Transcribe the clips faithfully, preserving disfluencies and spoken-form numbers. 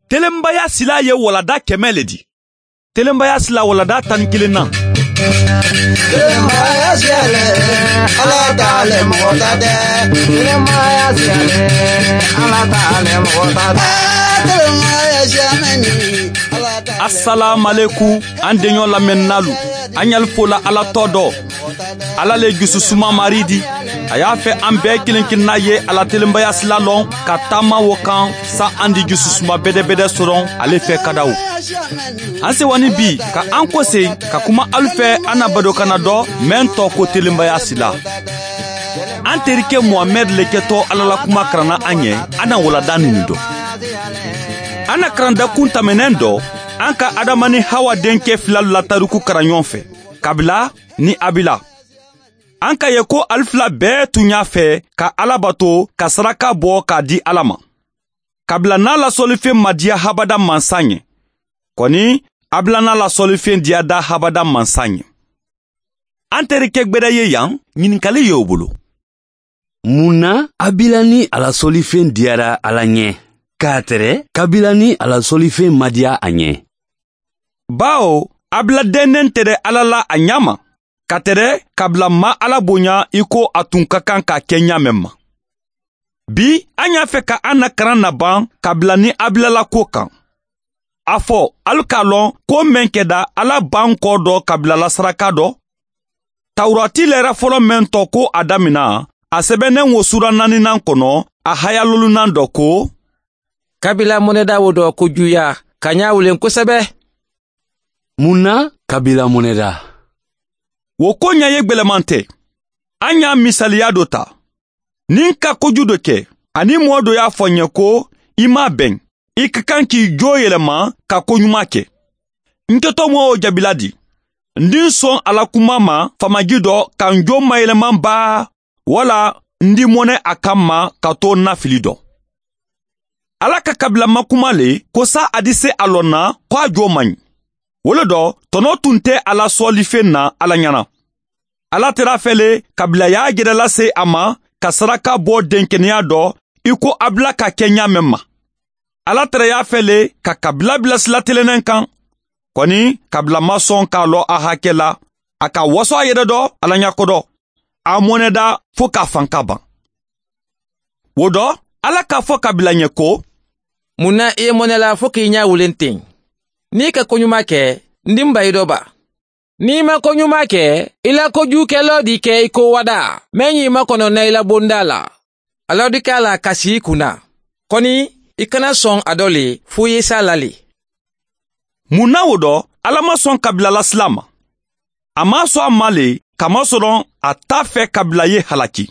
Telenbaya sila ye walada kɛmɛ le di. Telenbaya sila walada tan ni kelen na. Telenbaya sila le, ala ta le mɔgɔ ta tɛ. Telenbaya sila le, ala ta le mɔgɔ ta tɛ. Telenbaya sila ni, ala ta le. Asalaamalekum, an deɲɔ lamɛnnalu, an ɲali fola ala tɔ dɔ. Ala le jususuma mari di. A y'a fɛ an bɛɛ kelen kelenna ye a la telenbaya sila lɔn ka taama wo kan, sa an di jususuma bɛdɛbɛdɛ soron ale fɛ kadaw. An sewani bi ka an kose ka kuma alu fɛ an na badokana dɔ, mɛn tɔ ko telenbaya sila. An terike muhamɛd le kɛtɔ ala la kuma karanna an ye. An na walada nini dɔ. An na karanda kun tɛmɛnen dɔ, an ka adama ni hawa denkɛ filalu la tariku karan ɲɔgɔn fɛ, kabila ni abila. An ka ye ko ali fila bɛɛ tun y'a fɛ ka ala bato ka saraka bɔ k'a di ala ma, kabila n'a lasɔlifen ma diya habada mansa ɲɛ. Kɔni, abila n'a lasɔlifen diyada habada mansa ɲɛ. An terikɛ gbɛrɛ ye yan, ɲininkali ye o bolo. Mun na abila ni a lasɔlifen diyara ala ɲɛ, k'a tɛrɛ kabila ni a lasɔlifen ma diya a ɲɛ? Bawo abila dɛnnen tɛrɛ ala la a ɲa ma, ka tɛrɛ kabila ma ala bonya i ko a tun ka kan k'a kɛ ɲa mɛn ma. Bi, an y'a fɛ ka an na karan naban kabila ni abila la ko kan. A fɔ, alu k'a lɔn ko mɛn kɛda ala ban kɔ dɔ kabila la saraka dɔ. Tawurati lɛrɛ fɔlɔ mɛn tɔ ko a damina, a sɛbɛnnen wo sura naaninan kɔnɔ, a haya lolunan dɔ ko: Kabila mɔnɛda wo dɔ ko juya ka ɲa wulen kosɛbɛ. Mun na kabila mɔnɛda? Wo ko ɲa ye gbɛlɛman tɛ. An y'a misaliya dɔ ta. Ni n ka koju dɔ kɛ, ani mɔɔ dɔ y'a fɔ n ye ko, i m'a bɛn, i ka kan k'i jo yɛlɛma ka koɲuman kɛ. N kɛtɔ mɔɔ wo jaabila di? N di n sɔn a la kuma ma faamaji dɔ ka n jo mayɛlɛman baa, wala n di mɔnɛ a kan ma ka to n na fili dɔ? Ala ka kabila ma kuma le ko sa a di se a lɔn na ko a jo man ɲi. Wo le dɔ, tɔnɔ tun tɛ a la sɔɔlifen na ala ɲana. Ala tɛrɛ a fɛ le kabila y'a jɛrɛ lase a ma ka saraka bɔ denkeneya dɔ, i ko abila ka kɛ ɲa mɛn ma. Ala tɛrɛ y'a fɛ le ka kabila bila sila telennen kan. Kɔni, kabila ma sɔn k'a lɔ a hakɛ la, a ka waso a yɛrɛ dɔ ala ɲa kodɔ. A mɔnɛda fo k'a fan ka ban. Wo dɔ, ala k'a fɔ kabila ɲɛ ko: Mun na i ye mɔnɛ la fo k'i ɲa wulen ten? N'i ka koɲuman kɛ, n di n ba i dɔ ba? N'i ma koɲuman kɛ, i la kojukɛlɔ di kɛ i ko wada, mɛn y'i makɔnɔ na i la bonda la. Alɔdika la kasi i kun na. Kɔni, i kana sɔn a dɔ le fo i ye sa la le. Mun na wo dɔ, ala ma sɔn kabila la sila ma? A m'a sɔn a ma le, kamasɔrɔ a t'a fɛ kabila ye halaki.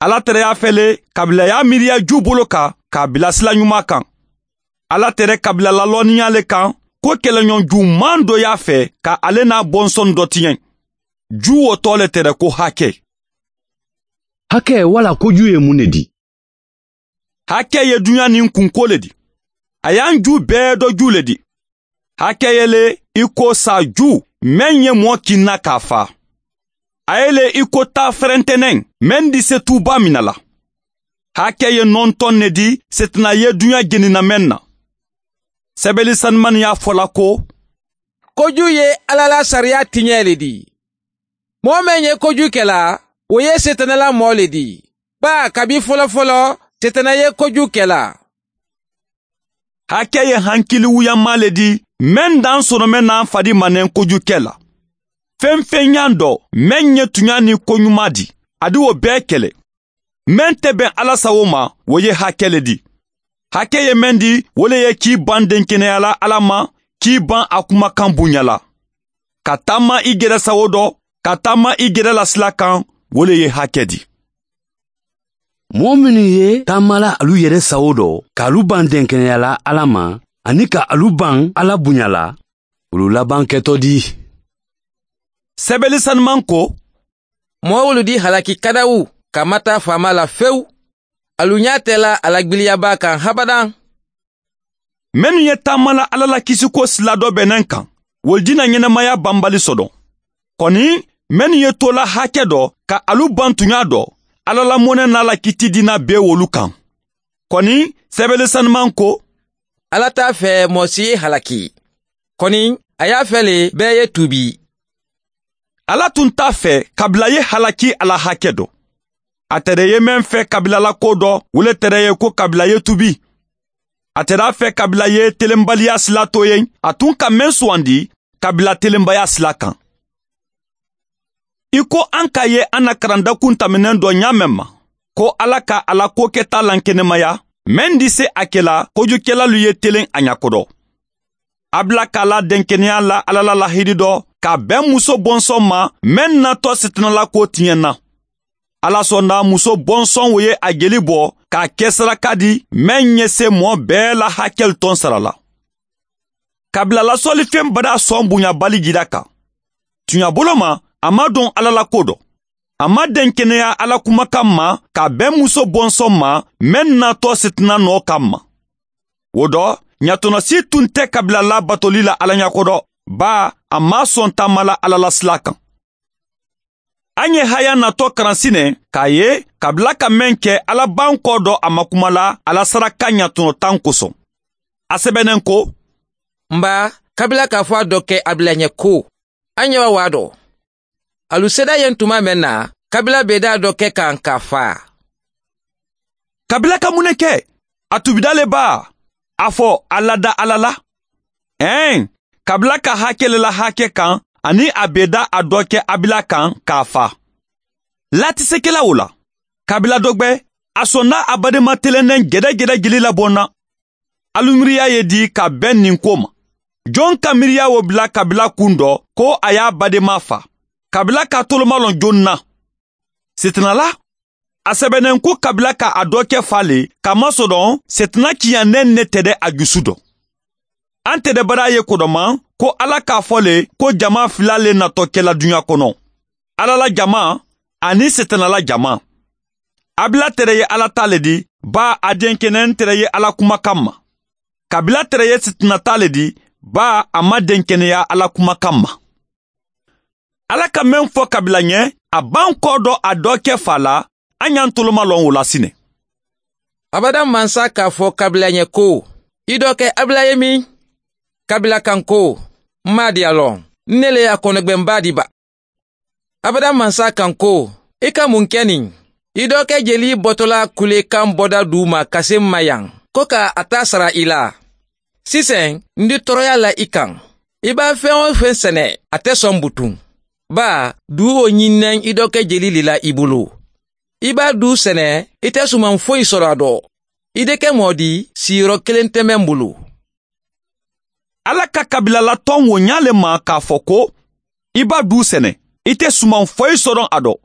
Ala tɛrɛ y'a fɛ le kabila y'a miiriya ju bolo kan k'a bila sila ɲuman kan. Ala tɛrɛ kabila lalɔnniya le kan ko kɛlɛɲɔgɔn juman dɔ y'a fɛ ka ale n'a bɔnsɔn dɔ tiɲɛ. Ju wo tɔ le tɛrɛ ko hakɛ. Hakɛ wala koju ye mun ne di? Hakɛ ye duɲa ni kunko le di. A y'an ju bɛɛ dɔ ju le di. Hakɛ ye le i ko sa ju, mɛn ye mɔɔ kinna k'a fa. A ye le i ko taa fɛrɛntɛnɛn, mɛn di se tuuba min na la. Hakɛ ye nɔntɔn ne di setana ye duɲa jeninamɛn na. Sɛbɛli sanumani y'a fɔ la ko: Koju ye ala la sariya tiɲɛ le di. Mɔɔ mɛn ye koju kɛla, wo ye setana la mɔɔ le di. Baa kabi fɔlɔfɔlɔ, setana ye koju kɛla. Hakɛ ye hankili wuyama le di, mɛn dan sɔrɔmɛ n'a fadi manɛn koju kɛ la. Fɛnfɛnɲan dɔ, mɛn ye tuɲa ni koɲuman di, a di wo bɛɛ kɛlɛ. Mɛn tɛ bɛn ala sago ma, wo ye hakɛ le di. Hakɛ ye mɛn di, wo le ye k'i ban denkenɛya la ala ma, k'i ban a kumakan bonya la. Ka taama i gɛrɛ sago dɔ, ka taama i gɛrɛ la sila kan, wo le ye hakɛ di. Mɔɔ minnu ye taamala alu yɛrɛ sago dɔ k'alu ban denkenɛya la ala ma, ani ka alu ban ala bonya la, wolu laban kɛtɔ di. Sɛbɛli sanuman ko: Mɔɔ wolu di halaki kadawu ka mataa faama la fewu. Alu ɲa tɛ la a la gbiliyaba kan habadan. Mennu ye taamala ala la kisiko sila dɔ bɛnnen kan, wolu dina ɲɛnamaya banbali sɔdɔn. Kɔni, mennu ye tola hakɛ dɔ ka alu ban tuɲa dɔ, ala la mɔnɛ n'a la kiti dina be wolu kan. Kɔni, sɛbɛli sanuman ko: Alla te a fɛ moo si ye halaki. Kɔni, a ye a fɛ le bɛɛ ye tuubi. Alla tun te a fɛ kabila ye halaki a la hake do. A tere ye meŋ fɛ kabila la ko dɔ, wo le tere ye ko kabila ye tuubi. A tere a fɛ kabila ye telenbaliya sila to ye, a tun ka meŋ suwandi kabila telenbaya sila kaŋ. I ko an ka ye an na karandakun taminen dɔ ɲaameŋ ma, ko alla ka a la koketa lankenemaya meŋ di se a kela kojukelalu ye telen a ɲa kodo. A bila ka a la denkeneya la alla la lahidi dɔ ka ben muso bonsoŋ ma meŋ natɔ sitina la ko tiɲɛ na. Alla sonda muso bonsoŋ wo ye a jeli bɔ k'a ke saraka di meŋ ye se moo bee la hakelu toŋ sara la. Kabila lasɔlifeŋ badaa sɔn buɲabali jira kan. Tuɲabolo ma, a ma don alla la ko dɔ. A ma denkeneya alla kumakan ma ka ben muso bonsoŋ ma meŋ natɔ sitina nɔ kamma. Wo dɔ, ɲatɔnɔ si tun te kabila la batoli la alla ɲa kodo, baa a ma sɔn taama la alla la sila kan. An ye haya natɔ karan sine k'a ye kabila ka meŋ ke alla bankɔ dɔ a ma kuma la alla saraka ɲatɔnɔ tan koson. A sebennen ko, n baa, kabila k'a fɔ a dɔ ke a bila ɲɛ ko, a ɲɛ wa waa dɔ. Alu seeda ye n tuma meŋ na, kabila bee daa dɔ ke kan k'a faa. Kabila ka mun ne ke? A tuubida le baa? A fɔ a lada alla la. Ɛɛn, kabila ka hake le la hake kaŋ, aniŋ a bee da a dɔ ke a bila kaŋ k'a faa. Laatisekela wo la, kabila dɔ gbe, a sonda a badema telendeŋ gedegede jeli laboŋ na. Alu miiriya ye di ka ben nin ko ma? Joŋ ka miiriya wo bila kabila kuŋ dɔ ko a ye a badema faa? Kabila ka tolomalɔn joŋ na? Sitina la. A sebennen ko kabila ka a dɔ ke faa le, kamasɔrɔ sitina kiyaneŋ ne tede a jusu dɔ. An tede badaa ye kodoma ko alla k'a fɔ le ko jama fila le natɔ kela duɲa kono, alla la jama aniŋ sitina la jama. Abila tere ye alla taa le di, baa a denkeneyaŋ tere ye alla kumakan ma. Kabila tere ye sitina taa le di, baa a ma denkeneya alla kumakan ma. Alla ka meŋ fo kabila ɲe, a bankɔ do a do ke fa la. A ɲa ntoloma loŋ wo la sine. Abada mansa ka fo kabila ɲe ko, i do ke abila ye min? Kabila kan ko, n maa diya loŋ, n ne le ye a konogbenbaa di ba. Abada mansa kan ko, i ka mun ke niŋ? I do ke jeli botola kule kan boda duu ma ka se n ma yaŋ, ko ka a taa sara i la. Siseŋ, n di toroya la i kaŋ. I b'a feŋ-wo-feŋ sene, a te soŋ butuŋ. Baa, duu wo ɲinneŋ i do ke jeli le la i bulu. I b'a duu sene, i te sumaŋ foyi soro a do. I de ke moo di, siiro keleŋ te meŋ bulu. Alla ka kabila la toŋ wo ɲaa le ma k'a fo ko, i b'a duu sene, i te sumaŋ foyi soro a do.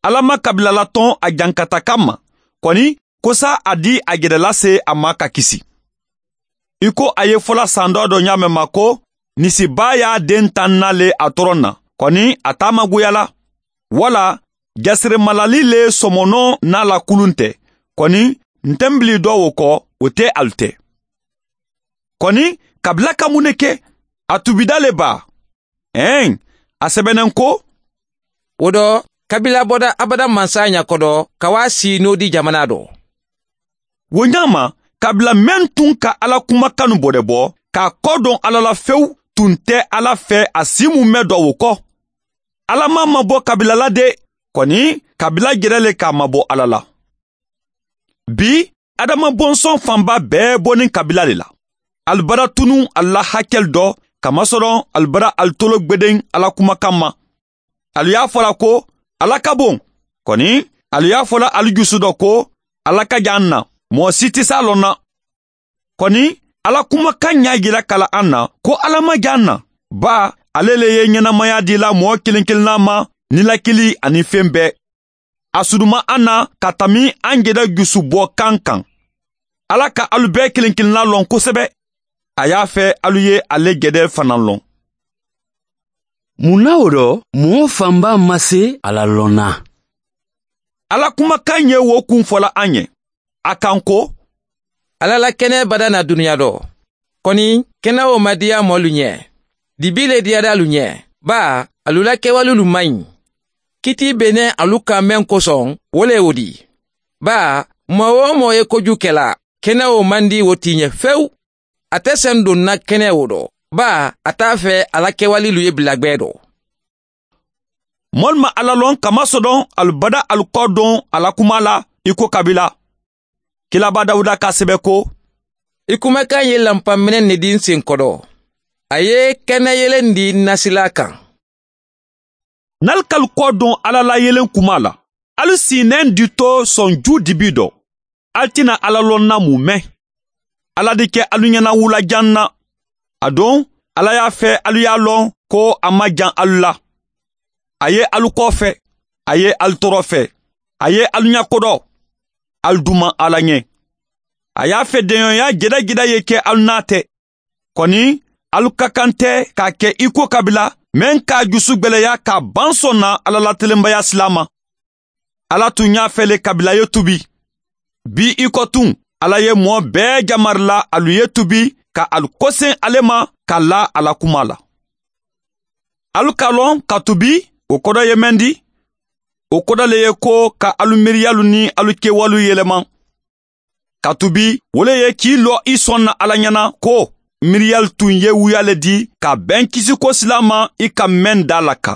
Alla ma kabila la toŋ a jankata kamma, koni, kosa a di a gedela se a ma ka kisi. I ko a ye fola sandoo do ɲaameŋ ma ko, nisi baa ye a den tanna le a toroŋ na, koni a taamaguya la. Wala, jasirimalali le somonoo naa la kulunte, koni, nte mbilidoo wo ko, wo te alu te. Koni, kabila ka mun ne ke? A tubida le baa? Eeŋ, a sebeneŋ ko, wo do, kabila boda abada mansa ɲa kodo ka waa sii noodi jamanaa do. Wo ɲaama, kabila meŋ tuŋ ka alla kumakanu bodebo, ka a kodoŋ alla la fewu, tuŋ te alla fe a si mu me do wo ko. Alla maŋ mabo kabila la de, koni, kabila jere le ka a mabo alla la. Bii, adama bonsoŋ fanba bee bo niŋ kabila le la. Ali bara tunuŋ ali la hakelu do, kamasoroŋ ali bara ali tolo gbedeŋ alla kumakamma. Ali ye a fo la ko, alla ka boŋ. Koni, ali ye a fo la ali jusu do ko, alla ka jaŋ na, moo si ti se a loŋ na. Koni, alla kumakaŋ ɲaa jira kala aŋ na ko alla ma jaŋ na. Baa, ale le ye ɲenamaya dila moo kiliŋ-kiliŋ naa ma, ni lakili aniŋ feŋ bee. A suduma aŋ na ka tami aŋ jede jusu boo kaŋ kaŋ. Alla ka alu bee kiliŋ-kiliŋ naa loŋ kosebe. A ye a fe alu ye ale jede fanaŋ loŋ. Mun na wo do moo fanba ma se alla loŋ na? Alla kumakaŋ ye wo kuŋ fola aŋ ye. A kaŋ ko, alla la kene bada na duniya do. Koni, kene wo ma diya moolu ɲe. Dibi le diyada alu ɲe. Baa, alu la kewalulu maŋ ɲi. Kitii be ne alu kaŋ meŋ kosoŋ, wo le ye wo di. Baa, moo-wo-moo ye koju kela, kenewo maŋ dii wo tiiñe fewu. A te seŋ doŋ na kenewo do baa a te a fee a la kewaliilu ye bilagbee do. Moolu maŋ alla loŋ ka masodoŋ alu bada alu koo doŋ a la kumaa la i ko kabila kilaabaa dawuda ka a sebe ko, i kumakaŋ ye lampaŋ meneŋ ne dii n seŋ kodo. A ye kene yelendi n na silaa kaŋ. Niŋ ali ka alu koo doŋ alla la yeleŋ kumaa la, ali si i neŋ ditoo soŋ juu dibii do. Ali ti na alla loŋ na mume? Alla di ke alu ñana wula jaŋ na. Aduŋ alla ye a fee alu ye a loŋ ko a maŋ jaŋ alu la. A ye alu koofe. A ye alu torofe. A ye alu ñakodo. Ali dumaŋ alla ñe. A ye a fedeŋoyaa jedajeda ye ke alu naa te. Koni alu ka kaŋ te ka a ke i ko kabila meŋ ka a jusugbeleya ka a baŋ soŋ na alla la telembayaa silaa ma. Alla tun ñaa fele kabila ye tubi. Bii i ko tun alla ye moo bee jamari la alu ye tubi ka alu koseŋ ale ma ka laa a la kumaa la. Alu ka loŋ ka tubi wo kodo ye meŋ di? Wo kodo le ye ko ka alu miiriyalu niŋ alu kewaliilu yelema. Ka tubi wo le ye kii loo i soŋ na alla ñana ko miiriyalu tun ye wuyaa le di ka a beŋ kisiko silaa ma i ka meŋ daa laka.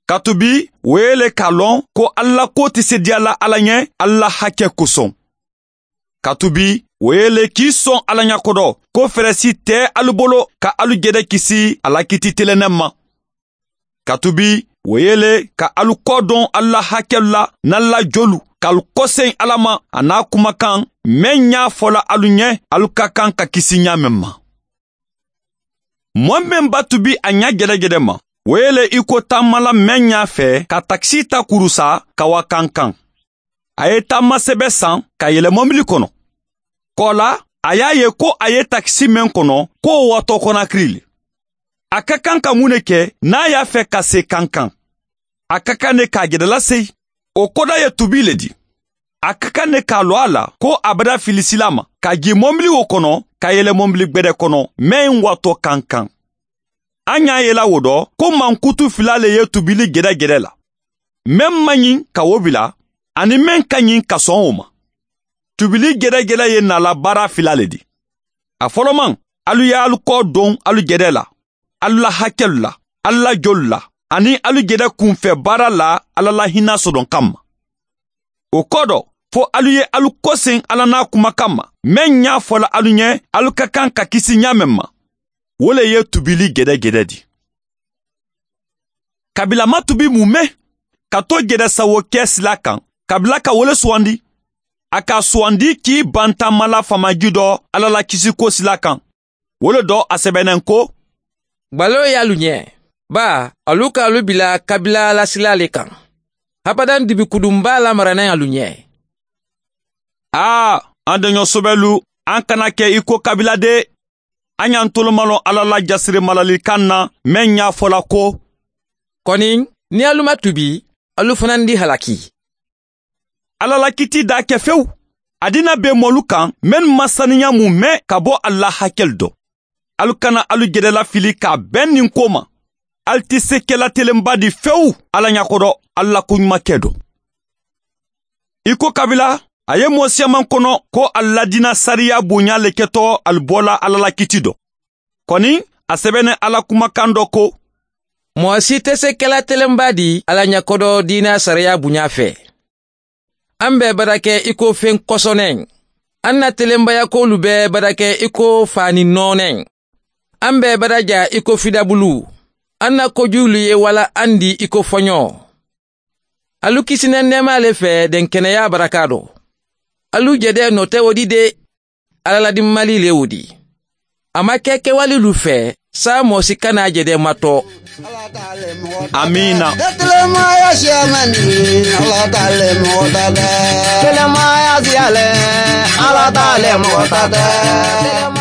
Ka tubi wo ye le ka a loŋ ko alla la koo te seedeyaa la alla ñe alla la hake kosoŋ. Ka tubi wo ye le kii soŋ alla ñakodo ko feresi te alu bolo ka alu jede kisi a la kiti telenneŋ ma. Ka tubi wo ye le ka alu koo doŋ alla la hakelu la niŋ alla la jolu ka alu koseŋ alla ma a niŋ a kumakaŋ meŋ ñaa fo la alu ñe alu ka kaŋ ka kisi ñaameŋ ma. Moo meŋ ba tubi a ña jedejede ma wo ye le i ko taamala meŋ ñaa fee ka takisii ta kurusa ka waa kankaŋ. A ye taama sebe saŋ ka yele mobili kono. Koo la a ye a ye ko a ye takisi meŋ kono ko wo waatoo konakiri le. A ka kaŋ ka muŋ ne ke niŋ a ye a fee ka see kankaŋ? A ka kaŋ ne ka a jedela seyi. Wo koda ye tubii le di. A ka kaŋ ne ka a loo a la ko a bada filisilaa ma ka jii mobili wo kono ka yele mobili gbede kono meŋ waatoo kankaŋ. A ñaa yela wo do ko mankutu filaa le ye tubili jedejede la. Meŋ maŋ ñiŋ ka wo bila aniŋ meŋ ka ñiŋ ka soŋ wo ma. Tubili jedejede ye naa la baara filaa le di. A folomaŋ, alu ye alu koo doŋ alu jede la, alu la hakelu la, alu la jolu la, aniŋ alu jede kunfee baara la alla la hinaa sodoŋ kamma. Wo kodo, fo alu ye alu koseŋ alla niŋ a kumakaŋ ma meŋ ñaa fo la alu ñe alu ka kaŋ ka kisi ñaameŋ ma. Wo le ye tubili jedejede di. Kabila ma tubi mume ka to jede sawo ke silaa kaŋ, kabila ka wo le suwandi. A ka a suwandi kii bantaamala faamaji do alla la kisiko silaa kaŋ. Wo le do a sebeneŋ ko, baloo ye alu ñe, baa alu ka alu bila kabila la silaa le kaŋ. Habadaŋ dibi kudunbaa lamaraneŋ alu ñe. Aa, an deño sobelu, an kana ke i ko kabila de. A ñantolu maŋ loŋ alla la jasiri malalikaŋ na meŋ ñaa fo la ko, koni niŋ alu ma tubi, alu fanandi halaki. Alla la kitii daa ke fewu. A dina be moolu kaŋ mennu maŋ saniya mume ka bo alla la hakelu do. Alu kana alu jedela fili ka a beŋ niŋ koo ma. Ali ti sekelatelenba di fewu alla ñakodo alla la koɲumakee do. I ko kabila a ye moo siyamaŋ kono ko ali la diina sariya buɲa le keto ali bo la alla la kiti do. Koni a sebene alla kumakaŋ do ko, moo si te se kela telenba di alla ɲakodo diina sariya buɲa fe. An be barake i ko feŋ kosoneŋ. An na telenbayakoolu be barake i ko faani nooneŋ. An be baraja i ko fidabulu. An na kojuulu ye wala an di i ko foɲo. Alu kisineŋ neema le fe denkeneyaa baraka do. Alu jede note wo di de. Alla la dimmali le wo di. A ma ke kewalilu fe saa moo si kana jede mato. Amiina.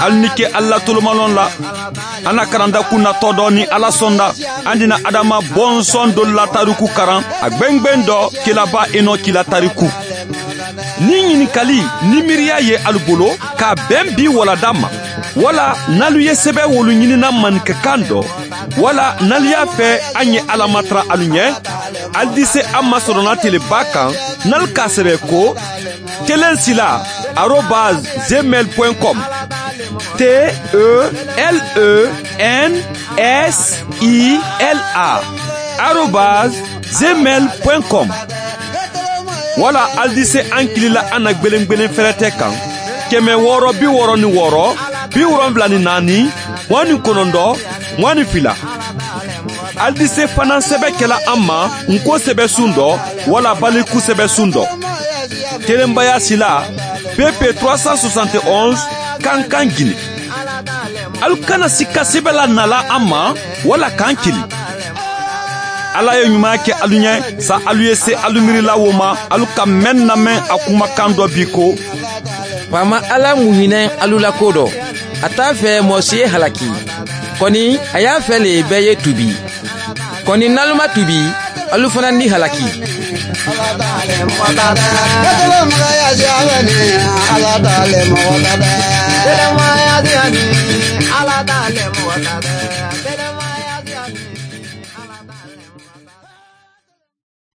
Ali ni ke alla tolomaloŋ la. An na karanda kunnatɔ dɔ ni ala sɔnda. An dina adama bɔnsɔn dolu la tariku karan a gbengben dɔ kilaba enoki la tariku. Ni ɲininkali ni miiriya ye alu bolo k'a bɛn bi walada ma, wala n'alu ye sɛbɛ wolu ɲinina maninkakan dɔ, wala n'alu y'a fɛ an ye ala matara alu ɲɛ, alu di se an ma sɔrɔna teleba kan, n'alu k'a sɛbɛ ko, kelen sila. arobase gmail point com. T e l e n s i l a arobase gmail point com. Wala ali dise an kili la an na gbelengbelen fɛrɛtɛ kan, kɛmɛ wɔɔrɔ bi wɔɔrɔ ni wɔɔrɔ, bi wolonwula ni naani, mugan ni kɔnɔntɔn, mugan ni fila. Ali dise fanaŋ sɛbɛ kɛla an ma nko sɛbɛsun dɔ wala baliku sɛbɛsun dɔ. Telenbaya sila pp trois cent soixante et onze, kankan gine. Alu kana sika sɛbɛ la nala an ma wala kan kili. Ala ye ɲuman kɛ alu ɲɛ, sa alu ye se alu miirila wo ma, alu ka mɛn lamɛn a kumakan dɔ bi ko: Faama Ala muɲinɛ alu la ko dɔ, a t'a fɛ mɔgɔ si ye halaki. Kɔni, a y'a fɛ le bɛɛ ye tubi. Kɔni, n'alu ma tubi, alu fana ni halaki.